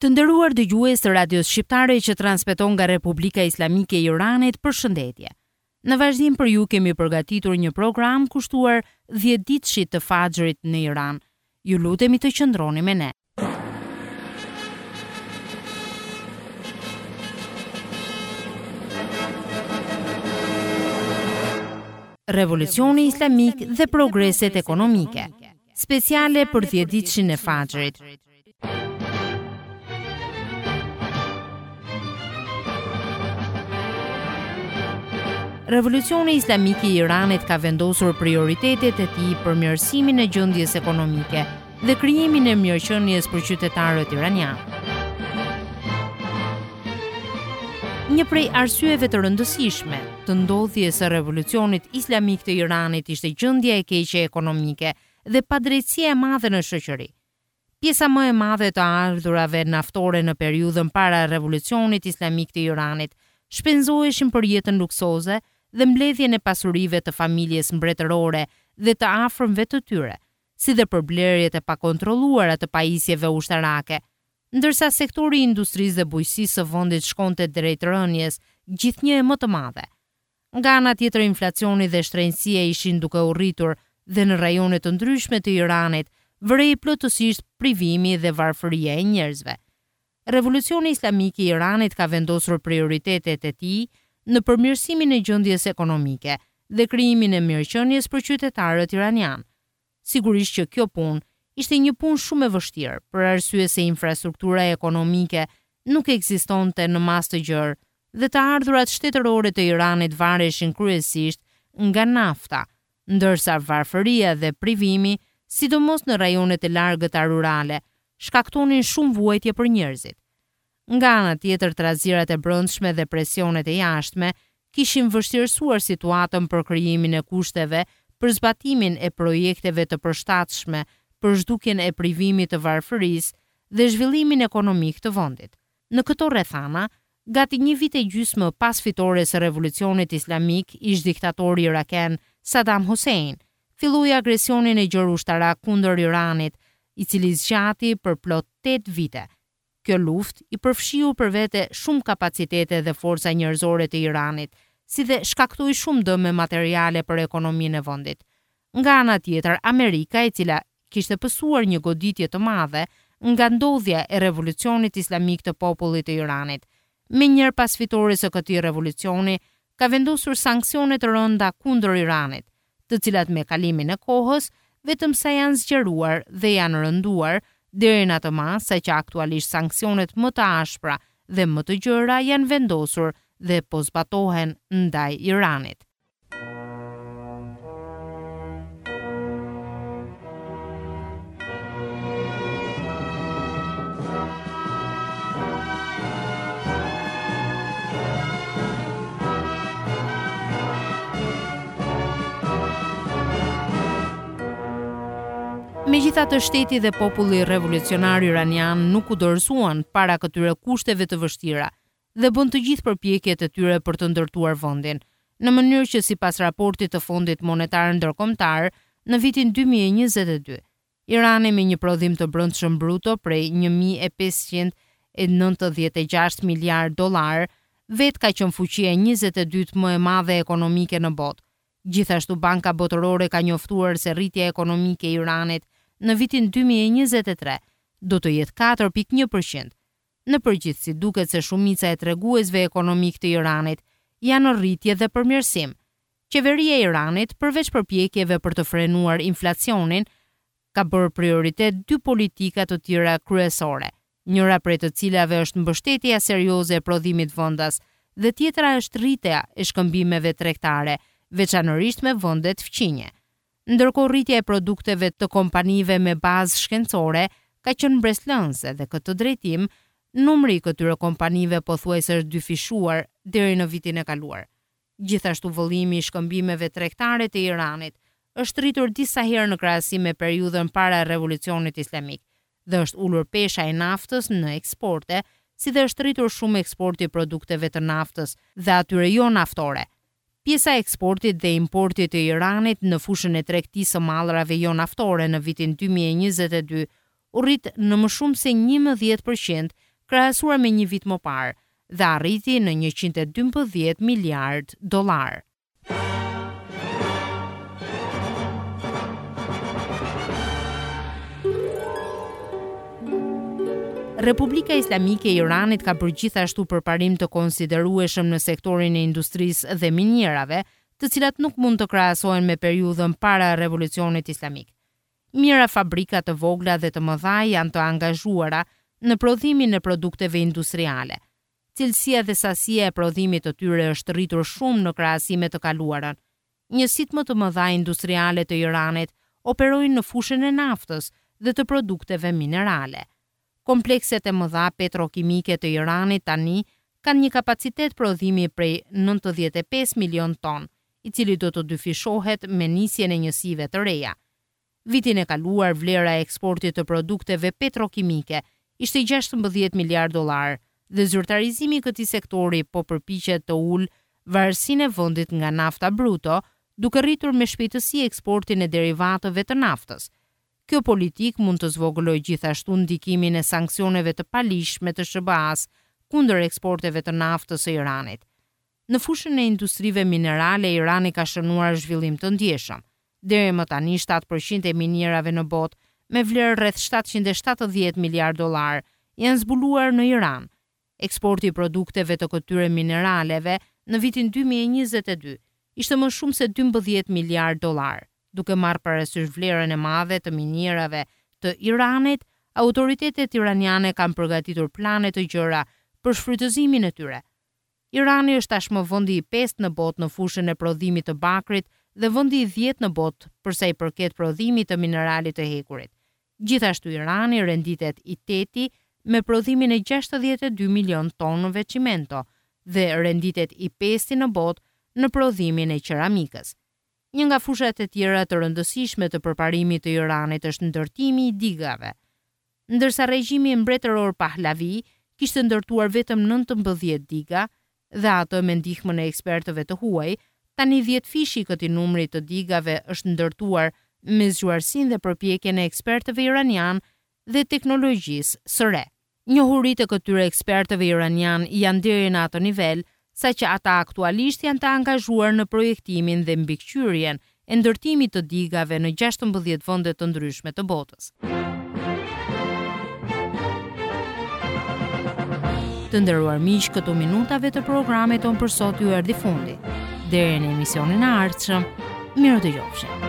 Të nderuar dëgjues të Radios Shqiptare që transmeton nga Republika Islamike e Iranit, përshëndetje. Në vazhdim për ju kemi përgatitur një program kushtuar dhjetëditëshit të Faxhrit në Iran. Ju lutemi të qëndroni me ne. Revolucioni Islamik dhe progreset ekonomike. Speciale për dhjetëditëshin e Faxhrit. Revolucioni Islamik i Iranit ka vendosur prioritetet e tij përmirësimin e gjendjes ekonomike dhe krijimin e mirëqenies për qytetarët iranianë. Një prej arsyeve të rëndësishme të ndodhjes së Revolucionit Islamik të Iranit ishte gjendja e keqe ekonomike dhe padrejtësia e madhe në shoqëri. Pjesa më e madhe e të ardhurave naftore në periudhën para Revolucionit Islamik të Iranit shpenzoheshin për jetën luksoze dhe mbledhjen e pasurive të familjes mbretërore dhe të afërmve të tyre, si dhe për blerjet e pakontrolluara të pajisjeve ushtarake, ndërsa sektori i industrisë dhe bujqësisë së vendit shkonte drejt rënies gjithnjë e më të madhe. Nga ana tjetër inflacioni dhe shtrenjtësia ishin duke u rritur dhe në rajone të ndryshme të Iranit vërehej plotësisht privimi dhe varfëria e njerëzve. Revolucioni Islamik i Iranit ka vendosur prioritetet e tij në përmirësimin e gjendjes ekonomike dhe krijimin e mirëqenies për qytetarët iranianë. Sigurisht që kjo punë ishte një punë shumë e vështirë, për arsye se infrastruktura ekonomike nuk ekzistonte në masë të gjerë dhe të ardhurat shtetërore të Iranit vareshin kryesisht nga nafta, ndërsa varfëria dhe privimi, sidomos në rajonet e largëta rurale, shkaktonin shumë vuajtje për njerëzit. Nga ana tjetër trazirat e brendshme dhe presionet e jashtme kishin vështirësuar situatën për krijimin e kushteve për zbatimin e projekteve të përshtatshme për zhdukjen e privimit të varfërisë dhe zhvillimin ekonomik të vendit. Në këto rrethana, gati një vit e gjysmë pas fitores së Revolucionit Islamik, ish-diktatori iraken Saddam Hussein filloi agresionin e gjerë ushtarak kundër Iranit, i cili zgjati për plot tetë vite. Kjo luftë i përfshiu për vete shumë kapacitete dhe forca njerëzore të Iranit, si dhe shkaktoi shumë dëme materiale për ekonominë e vendit. Nga ana tjetër, Amerika, e cila kishte pësuar një goditje të madhe nga ndodhja e Revolucionit Islamik të popullit të Iranit, menjëherë pas fitores së këtij revolucioni, ka vendosur sanksione të rënda kundër Iranit, të cilat me kalimin e kohës vetëm sa janë zgjeruar dhe janë rënduar deri në atë masë sa që aktualisht sanksionet më të ashpra dhe më të gjera janë vendosur dhe po zbatohen ndaj Iranit. Megjithatë shteti dhe populli revolucionar iranian nuk u dorëzuan para këtyre kushteve të vështira dhe bënë të gjithë përpjekjet e tyre për të ndërtuar vendin, në mënyrë që sipas raportit të Fondit Monetar Ndërkombëtar në vitin 2022, Irani me një prodhim të brendshëm bruto prej 1596 miliardë dollarë, vetë ka qenë fuqia e 22 më e madhe ekonomike në botë. Gjithashtu Banka Botërore ka njoftuar se rritja ekonomike e Iranit në vitin 2023 do të jetë 4.1 për qind. Në përgjithësi duket se shumica e treguesve ekonomikë të Iranit janë në rritje dhe përmirësim. Qeveria e Iranit, përveç përpjekjeve për të frenuar inflacionin, ka bërë prioritet dy politika të tjera kryesore, njëra prej të cilave është mbështetja serioze e prodhimit vendas dhe tjetra është rritja e shkëmbimeve tregtare, veçanërisht me vendet fqinje. Ndërkohë rritja e produkteve të kompanive me bazë shkencore ka qenë mbresëlënëse dhe këtë drejtim numri i këtyre kompanive pothuajse është dyfishuar deri në vitin e kaluar. Gjithashtu vëllimi i shkëmbimeve tregtare të Iranit është rritur disa herë në krahasim me periudhën para Revolucionit Islamik dhe është ulur pesha e naftës në eksporte, si dhe është rritur shumë eksporti i produkteve të naftës dhe atyre jo naftore. Pjesa e eksportit dhe importit të Iranit në fushën e tregtisë së mallrave jo naftore në vitin 2022 u rrit në më shumë se 11 për qind krahasuar me një vit më parë dhe arriti në 112 miliardë dollarë. Republika Islamike e Iranit ka bërë gjithashtu përparim të konsiderueshëm në sektorin e industrisë dhe minierave, të cilat nuk mund të krahasohen me periudhën para Revolucionit Islamik. Mijëra fabrika të vogla dhe të mëdha janë të angazhuara në prodhimin e produkteve industriale. Cilësia dhe sasia e prodhimit të tyre është rritur shumë në krahasim me të kaluarën. Njësitë më të mëdha industriale të Iranit operojnë në fushën e naftës dhe të produkteve minerale. Komplekset e mëdha petrokimike të Iranit tani kanë një kapacitet prodhimi prej 95 milionë tonë, i cili do të dyfishohet me nisjen e njësive të reja. Vitin e kaluar vlera e eksportit të produkteve petrokimike ishte 16 miliardë dollarë dhe zyrtarizimi i këtij sektori po përpiqet të ulë varësinë e vendit nga nafta bruto, duke rritur me shpejtësi eksportin e derivatëve të naftës. Kjo politikë mund të zvogëlojë gjithashtu ndikimin e sanksioneve të paligjshme të SHBA-së kundër eksporteve të naftës së Iranit. Në fushën e industrive minerale Irani ka shënuar zhvillim të ndjeshëm. Deri më tani 7% e minierave në botë, me vlerë rreth 770 miliardë dollarë, janë zbuluar në Iran. Eksporti i produkteve të këtyre mineraleve në vitin 2022 ishte më shumë se 12 miliardë dollarë. Duke marrë parasysh vlerën e madhe të minierave të Iranit, autoritetet iraniane kanë përgatitur plane të gjera për shfrytëzimin e tyre. Irani është tashmë vendi i pestë në botë në fushën e prodhimit të bakrit dhe vendi i dhjetë në botë për sa i përket prodhimit të mineralit të hekurit. Gjithashtu Irani renditet i teti me prodhimin e 62 milion tonëve çimento dhe renditet i pesti në botë në prodhimin e qeramikës. Një nga fushat e tjera të rëndësishme të përparimit të Iranit është ndërtimi i digave. Ndërsa regjimi mbretëror Pahlavi kishte ndërtuar vetëm 19 diga dhe atë me ndihmën e ekspertëve të huaj, tani dhjetëfishi i këtij numri të digave është ndërtuar me zgjuarsinë dhe përpjekjen e ekspertëve iranianë dhe teknologjisë së re. Njohuritë e këtyre ekspertëve iranianë janë deri në atë nivel, saqë ata aktualisht janë të angazhuar në projektimin dhe mbikëqyrjen e ndërtimit të digave në 16 vende të ndryshme të botës. Të nderuar miq, këtu minutave të programit tonë për sot ju erdhi fundi. Deri në emisionin e ardhshëm, mirudëgjofshim.